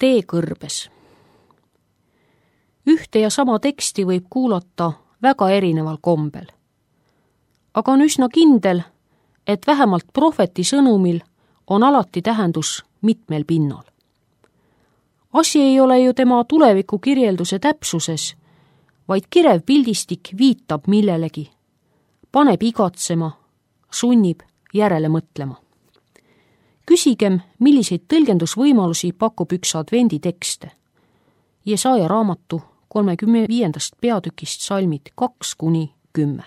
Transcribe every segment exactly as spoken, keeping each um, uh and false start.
tee kõrbes. Ühte ja sama teksti võib kuulata väga erineval kombel. Aga on üsna kindel, et vähemalt prohveti sõnumil on alati tähendus mitmel pinnal. Asi ei ole ju tema tuleviku kirjelduse täpsuses, vaid kirev pildistik viitab millelegi, paneb igatsema, sunnib järele mõtlema. Küsigem, milliseid tõlgendusvõimalusi pakub üks advendi tekste. Jesaja raamatu kolmekümne viiendast peatükist salmid kaks kuni kümme.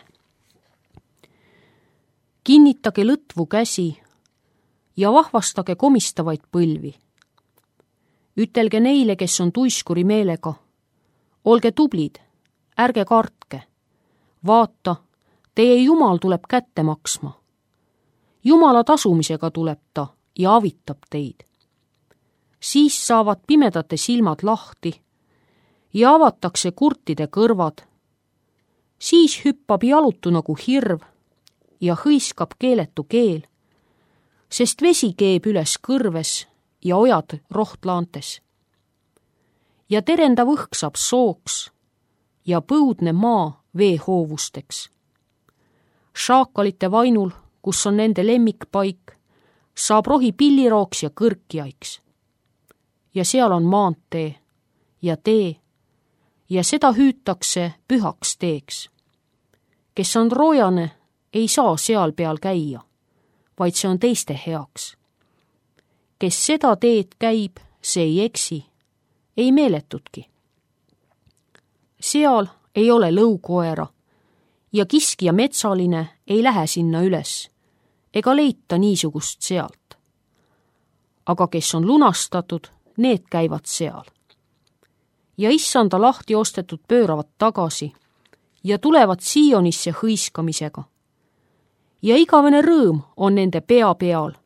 Kinnitage lõtvu käsi ja vahvastage komistavaid põlvi. Ütelge neile, kes on tuiskuri meelega, olge tublid, ärge kartke. Vaata, teie Jumal tuleb kätte maksma. Jumala tasumisega tuleb ta ja avitab teid. Siis saavad pimedate silmad lahti ja avatakse kurtide kõrvad. Siis hüppab jalutu nagu hirv ja hõiskab keeletu keel, sest vesi keeb üles kõrves ja ojad rohtlaantes. Ja terendav õhk saab sooks ja põudne maa veehoovusteks. Šaakalite vainul, kus on nende lemmikpaik, saab rohi pillirooks ja kõrkjaiks. Ja seal on maantee ja tee ja seda hüütakse pühaks teeks. Kes on roojane, ei saa seal peal käia, vaid see on teiste heaks. Kes seda teed käib, see ei eksi, ei meeletudki. Seal ei ole lõukoera ja kiskja metsaline ei lähe sinna üles ega leita niisugust sealt. Aga kes on lunastatud, need käivad seal. Ja issanda lahti ostetud pööravad tagasi ja tulevad Siionisse hõiskamisega. Ja igavene rõõm on nende pea peal.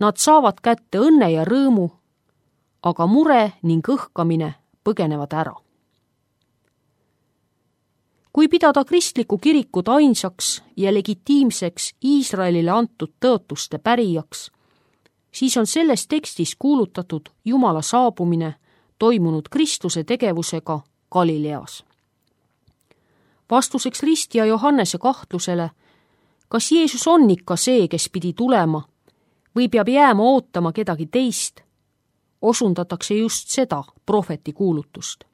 Nad saavad kätte õnne ja rõõmu, aga mure ning õhkamine põgenevad ära. Kui pidada kristliku kirikut ainsaks ja legitiimseks Iisraelile antud tõotuste pärijaks, siis on selles tekstis kuulutatud Jumala saabumine toimunud Kristuse tegevusega Galileas. Vastuseks ristja Johannese kahtlusele, kas Jeesus on ikka see, kes pidi tulema, või peab jääma ootama kedagi teist, osundatakse just seda prohveti kuulutust.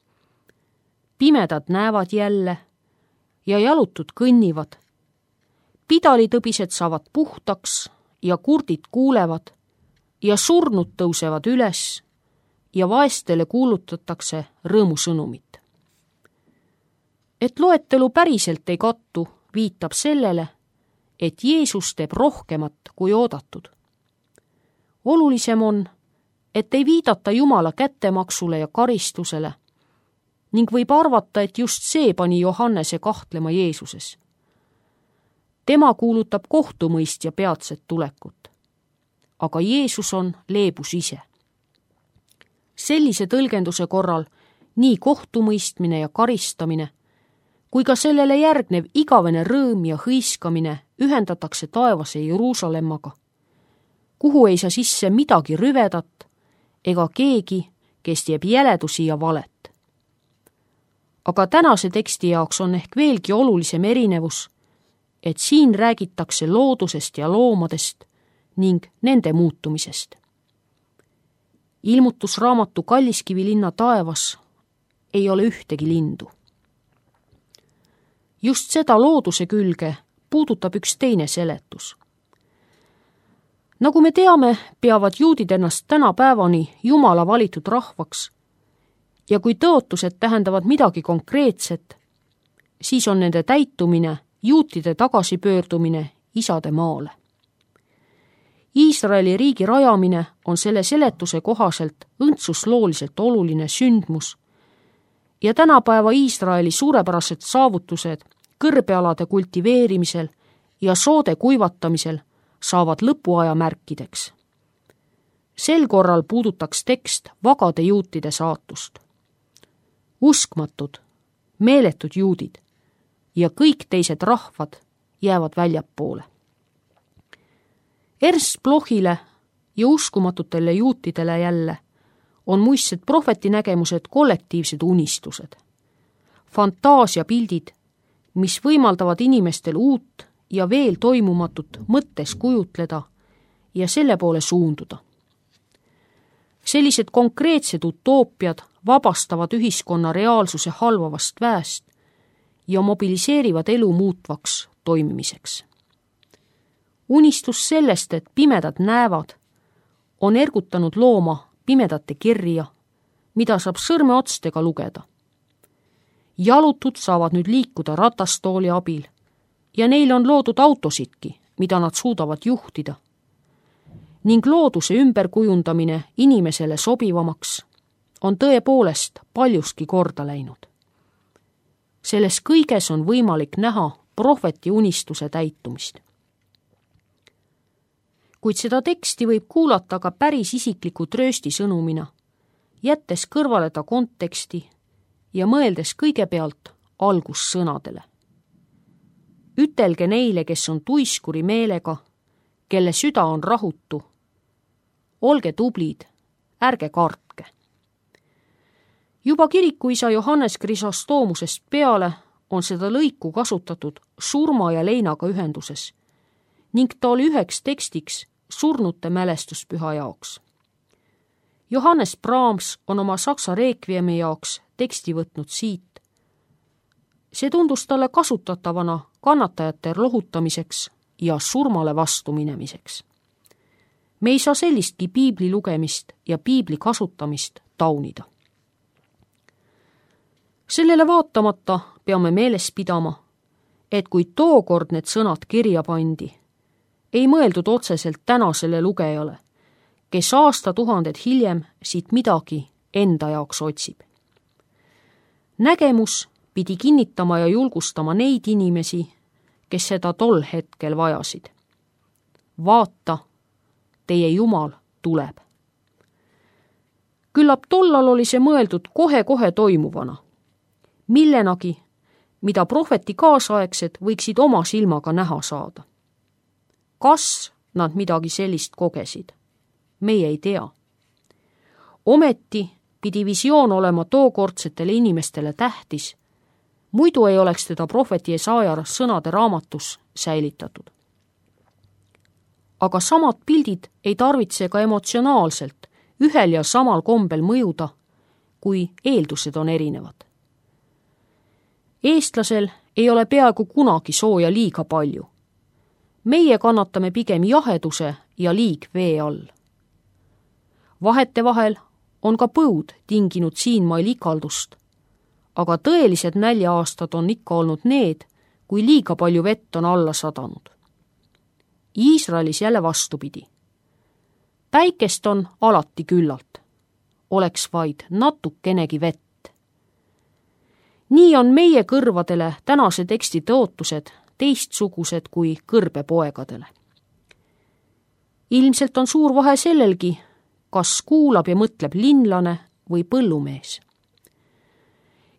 Pimedad näevad jälle ja jalutud kõnnivad. Pidalitõbised saavad puhtaks ja kurdid kuulevad ja surnud tõusevad üles ja vaestele kuulutatakse rõõmusõnumit. Et loetelu päriselt ei kattu, viitab sellele, et Jeesus teeb rohkemat kui oodatud. Olulisem on, et ei viidata Jumala kättemaksule ja karistusele ning võib arvata, et just see pani Johannese kahtlema Jeesuses. Tema kuulutab kohtumõistja peatset tulekut, aga Jeesus on leebus ise. Sellise tõlgenduse korral nii kohtumõistmine ja karistamine kui ka sellele järgnev igavene rõõm ja hõiskamine ühendatakse taevase Jeruusalemmaga, kuhu ei saa sisse midagi rüvedat ega keegi, kes teeb jäledusi ja valet. Aga tänase teksti jaoks on ehk veelgi olulisem erinevus, et siin räägitakse loodusest ja loomadest ning nende muutumisest. Ilmutusraamatu Kalliskivi linna taevas ei ole ühtegi lindu. Just seda looduse külge puudutab üks teine seletus. Nagu me teame, peavad juudid ennast tänapäevani Jumala valitud rahvaks ja kui tõotused tähendavad midagi konkreetset, siis on nende täitumine juutide tagasipöördumine isade maale. Iisraeli riigi rajamine on selle seletuse kohaselt õndsuslooliselt oluline sündmus ja tänapäeva Iisraeli suurepärased saavutused kõrbealade kultiveerimisel ja soode kuivatamisel saavad lõpuaja märkideks. Sel korral puudutaks tekst vagade juutide saatust. Uskmatud, meeletud juudid ja kõik teised rahvad jäävad väljapoole. Ernst Blochile ja uskumatutele juutidele jälle on muistsed prohvetinägemused kollektiivsed unistused, fantaasiapildid, mis võimaldavad inimestel uut ja veel toimumatut mõttes kujutleda ja selle poole suunduda. Sellised konkreetsed utoopiad vabastavad ühiskonna reaalsuse halvavast väest ja mobiliseerivad elu muutvaks toimimiseks. Unistus sellest, et pimedad näevad, on ergutanud looma pimedate kirja, mida saab sõrmeotstega lugeda. Jalutud saavad nüüd liikuda ratastooli abil ja neil on loodud autosidki, mida nad suudavad juhtida. Ning looduse ümberkujundamine inimesele sobivamaks on tõepoolest paljuski korda läinud. Selles kõiges on võimalik näha prohveti unistuse täitumist. Kuid seda teksti võib kuulata ka päris isikliku tröösti sõnumina, jättes kõrvale ta konteksti ja mõeldes kõigepealt algussõnadele. Ütelge neile, kes on tuiskuri meelega, kelle süda on rahutu. Olge tublid, ärge kartke. Juba kirikuisa Johannes Chrysostoomusest peale on seda lõiku kasutatud surma ja leinaga ühenduses ning ta oli üheks tekstiks surnute mälestuspüha jaoks. Johannes Brahms on oma saksa reekviemi jaoks teksti võtnud siit. See tundus talle kasutatavana kannatajate lohutamiseks ja surmale vastu minemiseks. Me ei saa sellistki piibli lugemist ja piibli kasutamist taunida. Sellele vaatamata peame meeles pidama, et kui tookord need sõnad kirja pandi, ei mõeldud otseselt tänasele lugejale, kes aastatuhanded hiljem siit midagi enda jaoks otsib. Nägemus pidi kinnitama ja julgustama neid inimesi, kes seda tol hetkel vajasid. Vaata, teie Jumal tuleb. Küllap tollal oli see mõeldud kohe-kohe toimuvana, millenagi, mida prohveti kaasaegsed võiksid oma silmaga näha saada. Kas nad midagi sellist kogesid? Meie ei tea. Ometi pidi visioon olema tookordsetele inimestele tähtis, muidu ei oleks teda prohveti Jesaja sõnade raamatus säilitatud. Aga samad pildid ei tarvitse ka emotsionaalselt ühel ja samal kombel mõjuda, kui eeldused on erinevad. Eestlasel ei ole peaaegu kunagi sooja liiga palju. Meie kannatame pigem jaheduse ja liigvee all. Vahetevahel on ka põud tinginud siinmail ikaldust, aga tõelised nälja-aastad on ikka olnud need, kui liiga palju vett on alla sadanud. Iisraelis jälle vastupidi. Päikest on alati küllalt, oleks vaid natukenegi vett. Nii on meie kõrvadele tänase teksti tõotused teistsugused kui kõrbepoegadele. Ilmselt on suur vahe sellelgi, kas kuulab ja mõtleb linlane või põllumees.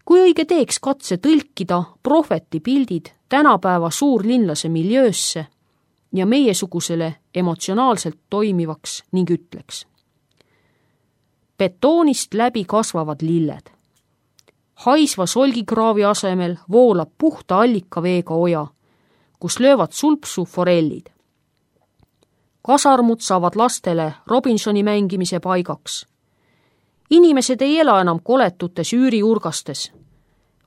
Kui õige teeks katse tõlkida prohveti pildid tänapäeva suurlinlase miljöösse ja meiesugusele emotsionaalselt toimivaks ning ütleks. Betoonist läbi kasvavad lilled. Haisva solgikraavi asemel voolab puhta allikaveega oja, kus löövad sulpsu forellid. Kasarmud saavad lastele Robinsoni mängimise paigaks. Inimesed ei ela enam koletutes üüriurgastes,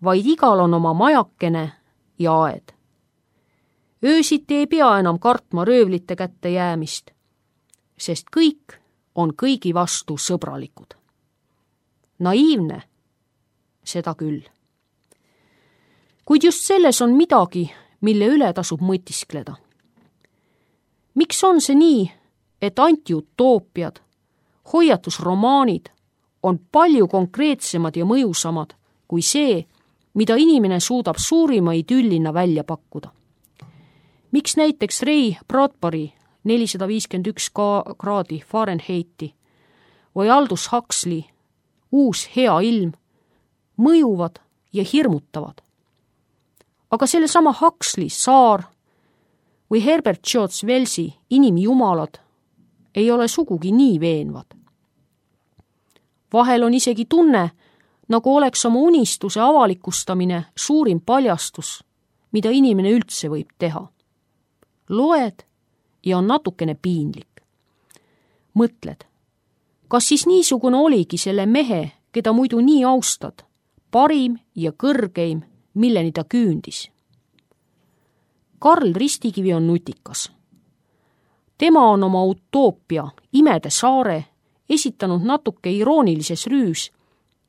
vaid igal on oma majakene ja aed. Öösiti ei pea enam kartma röövlite kätte jäämist, sest kõik on kõigi vastu sõbralikud. Naiivne, seda küll. Kuid just selles on midagi, mille üle tasub mõtiskleda. Miks on see nii, et antiutoopiad, hoiatusromaanid on palju konkreetsemad ja mõjusamad kui see, mida inimene suudab suurima idüllina välja pakkuda? Miks näiteks Ray Bradbury nelisada viiskümmend üks kraadi Fahrenheiti või Aldous Huxley Uus hea ilm mõjuvad ja hirmutavad? Aga sellesama Huxley Saar või Herbert George Wellsi Inimjumalad ei ole sugugi nii veenvad. vahel on isegi tunne, nagu oleks oma unistuse avalikustamine suurim paljastus, mida inimene üldse võib teha. Loed ja on natukene piinlik. Mõtled, kas siis niisugune oligi selle mehe, keda muidu nii austad, parim ja kõrgeim, milleni ta küündis? Karl Ristikivi on nutikas. Tema on oma utoopia Imede saare esitanud natuke iroonilises rüüs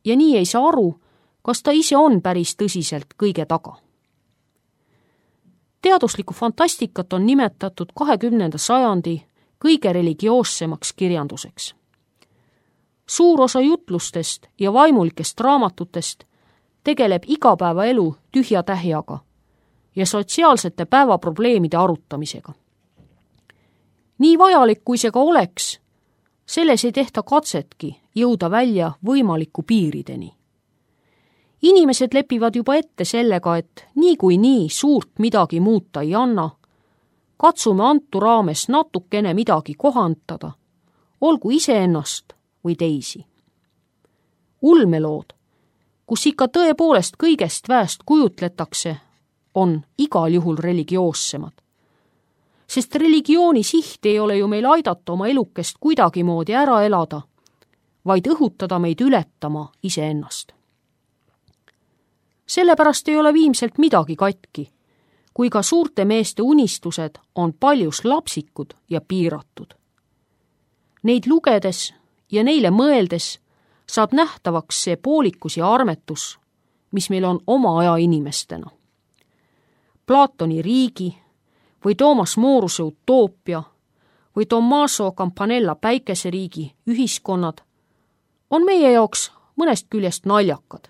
ja nii ei saa aru, kas ta ise on päris tõsiselt kõige taga. Teaduslikku fantastikat on nimetatud kahekümnenda sajandi kõige religioossemaks kirjanduseks. Suur osa jutlustest ja vaimulikest raamatutest tegeleb igapäevaelu tühja tähjaga ja sotsiaalsete päevaprobleemide arutamisega. Nii vajalik, kui see ka oleks, selles ei tehta katsetki jõuda välja võimaliku piirideni. Inimesed lepivad juba ette sellega, et nii kui nii suurt midagi muuta ei anna, katsume antu raames natukene midagi kohandada, olgu iseennast või teisi. Ulmelood, kus ikka tõepoolest kõigest väest kujutletakse, on igal juhul religioossemad. Sest religiooni siht ei ole ju meil aidata oma elukest kuidagimoodi ära elada, vaid õhutada meid ületama iseennast. Sellepärast ei ole viimselt midagi katki, kui ka suurte meeste unistused on paljus lapsikud ja piiratud. Neid lugedes ja neile mõeldes saab nähtavaks see poolikus ja armetus, mis meil on oma aja inimestena. Platoni riigi või Toomas Moruse utoopia või Tommaso Campanella päikeseriigi ühiskonnad on meie jaoks mõnest küljest naljakad.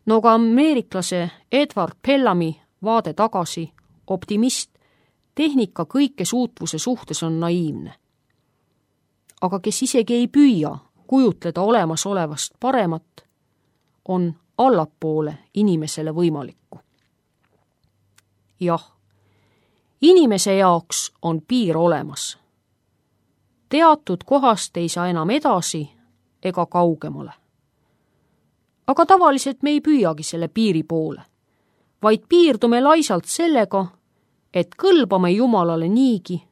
No ka ameeriklase Edward Bellami vaade tagasi, optimist, tehnika kõike suutvuse suhtes on naiivne. Aga kes isegi ei püüa kujutleda olemasolevast paremat, on allapoole inimesele võimalikku. Jah, inimese jaoks on piir olemas. Teatud kohast ei saa enam edasi ega kaugemale. Aga tavaliselt me ei püüagi selle piiri poole, vaid piirdume laisalt sellega, et kõlbame Jumalale niigi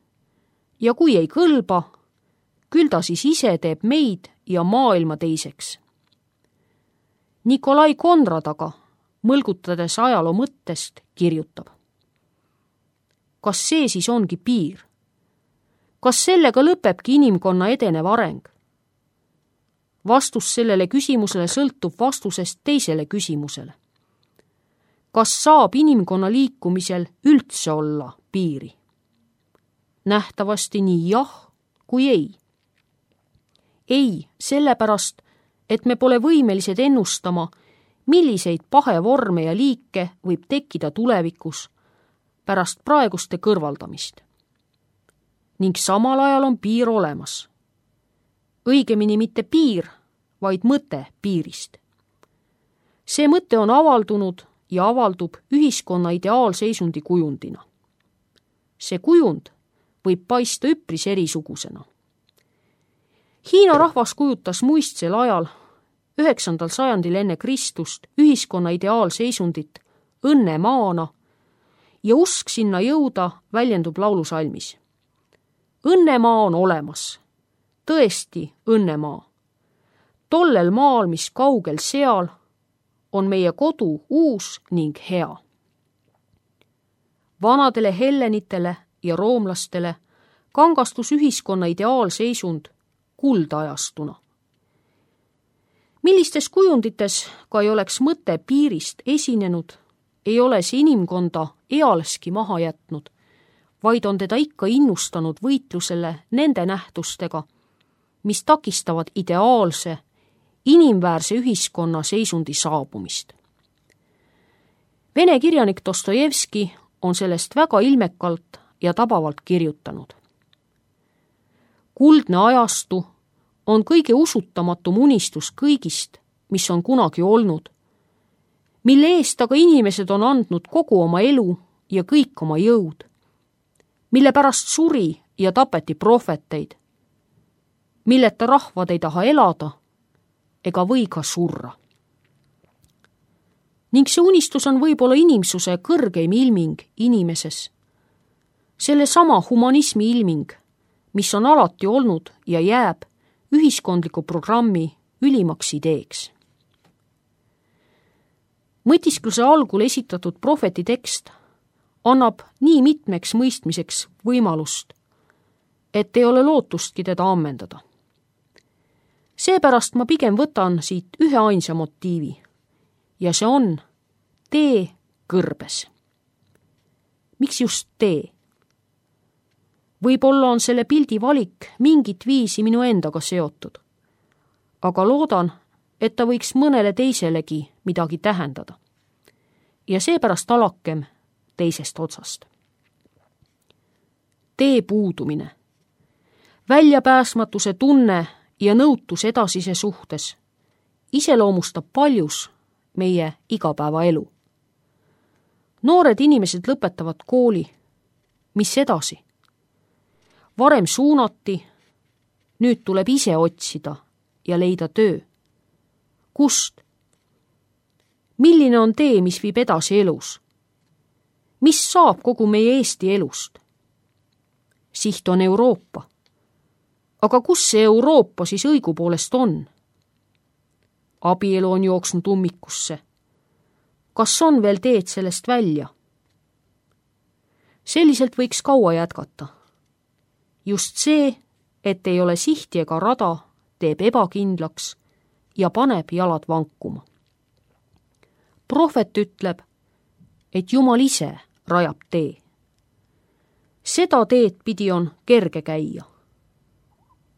ja kui ei kõlba, küll ta siis ise teeb meid ja maailma teiseks. Nikolai Konrad aga, mõlgutades ajaloo mõttest, kirjutab. Kas see siis ongi piir? Kas sellega lõpebki inimkonna edenev areng? Vastus sellele küsimusele sõltub vastusest teisele küsimusele. Kas saab inimkonna liikumisel üldse olla piiri? Nähtavasti nii jah kui ei. Ei, sellepärast, et me pole võimelised ennustama, milliseid pahevorme ja liike võib tekkida tulevikus pärast praeguste kõrvaldamist. Ning samal ajal on piir olemas. Õigemini mitte piir, vaid mõte piirist. See mõte on avaldunud ja avaldub ühiskonna ideaalseisundi kujundina. See kujund võib paista üpris erisugusena. Hiina rahvas kujutas muistsel ajal, üheksandal sajandil enne Kristust, ühiskonna ideaalseisundit õnnemaana ja usk sinna jõuda väljendub laulusalmis. Õnnemaa on olemas, tõesti õnnemaa. Tollel maal, mis kaugel seal, on meie kodu uus ning hea. Vanadele hellenitele ja roomlastele kangastus ühiskonna ideaalseisund kuldajastuna. Millistes kujundites ka ei oleks mõte piirist esinenud, ei ole see inimkonda ealeski maha jätnud, vaid on teda ikka innustanud võitlusele nende nähtustega, mis takistavad ideaalse, inimväärse ühiskonna seisundi saabumist. Vene kirjanik Dostojevski on sellest väga ilmekalt ja tabavalt kirjutanud. Kuldne ajastu on kõige usutamatum unistus kõigist, mis on kunagi olnud, mille eest aga inimesed on andnud kogu oma elu ja kõik oma jõud, mille pärast suri ja tapeti prohveteid, milleta rahvad ei taha elada ega või ka surra. Ning see unistus on võib-olla inimsuse kõrgeim ilming inimeses. Selle sama humanismi ilming, mis on alati olnud ja jääb ühiskondliku programmi ülimaks ideeks. Mõtiskluse algul esitatud prohveti tekst annab nii mitmeks mõistmiseks võimalust, et ei ole lootustki teda ammendada. Seepärast ma pigem võtan siit ühe ainsa motiivi ja see on tee kõrbes. Miks just tee? Võib-olla on selle pildi valik mingit viisi minu endaga seotud, aga loodan, et ta võiks mõnele teiselegi midagi tähendada. Ja seepärast alakem teisest otsast. Tee puudumine, väljapääsmatuse tunne ja nõutus edasise suhtes iseloomustab paljus meie igapäevaelu. Noored inimesed lõpetavad kooli. Mis edasi? Varem suunati, nüüd tuleb ise otsida ja leida töö. Kust? Milline on tee, mis viib edasi elus? Mis saab kogu meie Eesti elust? Siht on Euroopa. Aga kus see Euroopa siis õigupoolest on? Abielu on jooksnud ummikusse. Kas on veel teed sellest välja? Selliselt võiks kaua jätkata. Just see, et ei ole sihti ega rada, teeb ebakindlaks ja paneb jalad vankuma. Prohvet ütleb, et Jumal ise rajab tee. Seda teed pidi on kerge käia.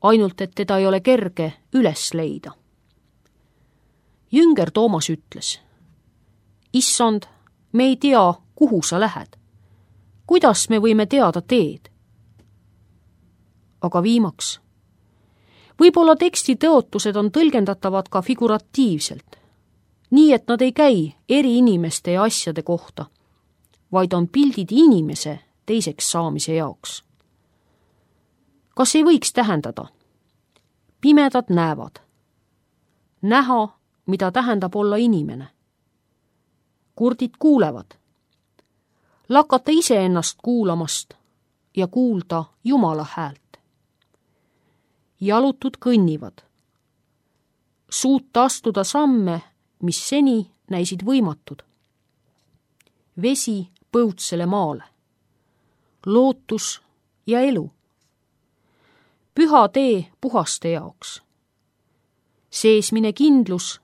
Ainult, et teda ei ole kerge üles leida. Jünger Toomas ütles, Issand, me ei tea, kuhu sa lähed. Kuidas me võime teada teed? Aga viimaks, võib-olla teksti tõotused on tõlgendatavad ka figuratiivselt, nii et nad ei käi eri inimeste ja asjade kohta, vaid on pildid inimese teiseks saamise jaoks. Kas ei võiks tähendada? Pimedad näevad. Näha, mida tähendab olla inimene. Kurdid kuulevad. Lakata iseennast kuulamast ja kuulda Jumala häält. Jalutud kõnnivad. Suuta astuda samme, mis seni näisid võimatud. Vesi põutsele maale. Lootus ja elu. Püha tee puhaste jaoks. Seesmine kindlus,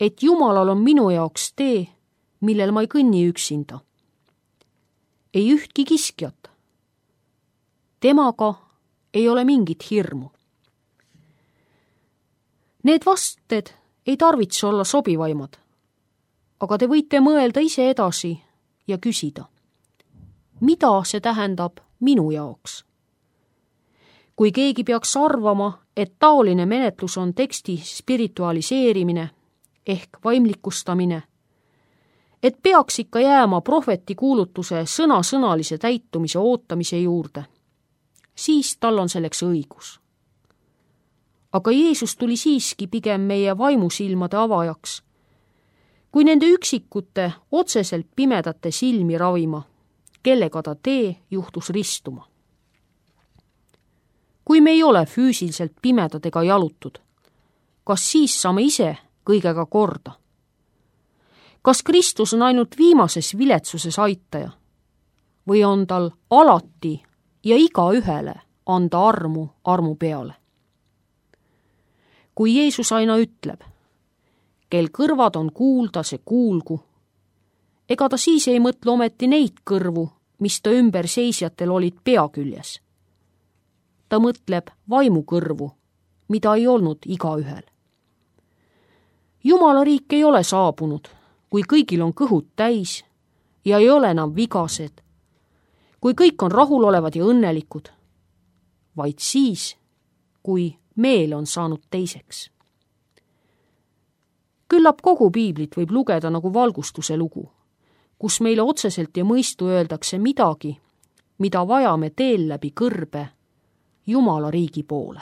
et Jumalal on minu jaoks tee, millel ma ei kõnni üksinda. Ei ühtki kiskjat. Temaga ei ole mingit hirmu. Need vasted ei tarvitse olla sobivaimad, aga te võite mõelda ise edasi ja küsida, mida see tähendab minu jaoks? Kui keegi peaks arvama, et taoline menetlus on teksti spiritualiseerimine ehk vaimlikustamine, et peaks ikka jääma prohveti kuulutuse sõna-sõnalise täitumise ootamise juurde, siis tal on selleks õigus. Aga Jeesus tuli siiski pigem meie vaimusilmade avajaks, kui nende üksikute otseselt pimedate silmi ravima, kellega ta tee juhtus ristuma. Kui me ei ole füüsiliselt pimedad ega jalutud, kas siis saame ise kõigega korda? Kas Kristus on ainult viimases viletsuses aitaja või on tal alati ja igaühele anda armu armu peale? Kui Jeesus aina ütleb, kel kõrvad on kuulda, see kuulgu, ega ta siis ei mõtle ometi neid kõrvu, mis ta ümber seisjatel olid pea küljes. Ta mõtleb vaimukõrvu, mida ei olnud igaühel. Jumala riik ei ole saabunud, kui kõigil on kõhud täis ja ei ole enam vigased, kui kõik on rahulolevad ja õnnelikud, vaid siis, kui meel on saanud teiseks. Küllap kogu piiblit võib lugeda nagu valgustuse lugu, kus meile otseselt ja mõistu öeldakse midagi, mida vajame teel läbi kõrbe Jumala riigi poole.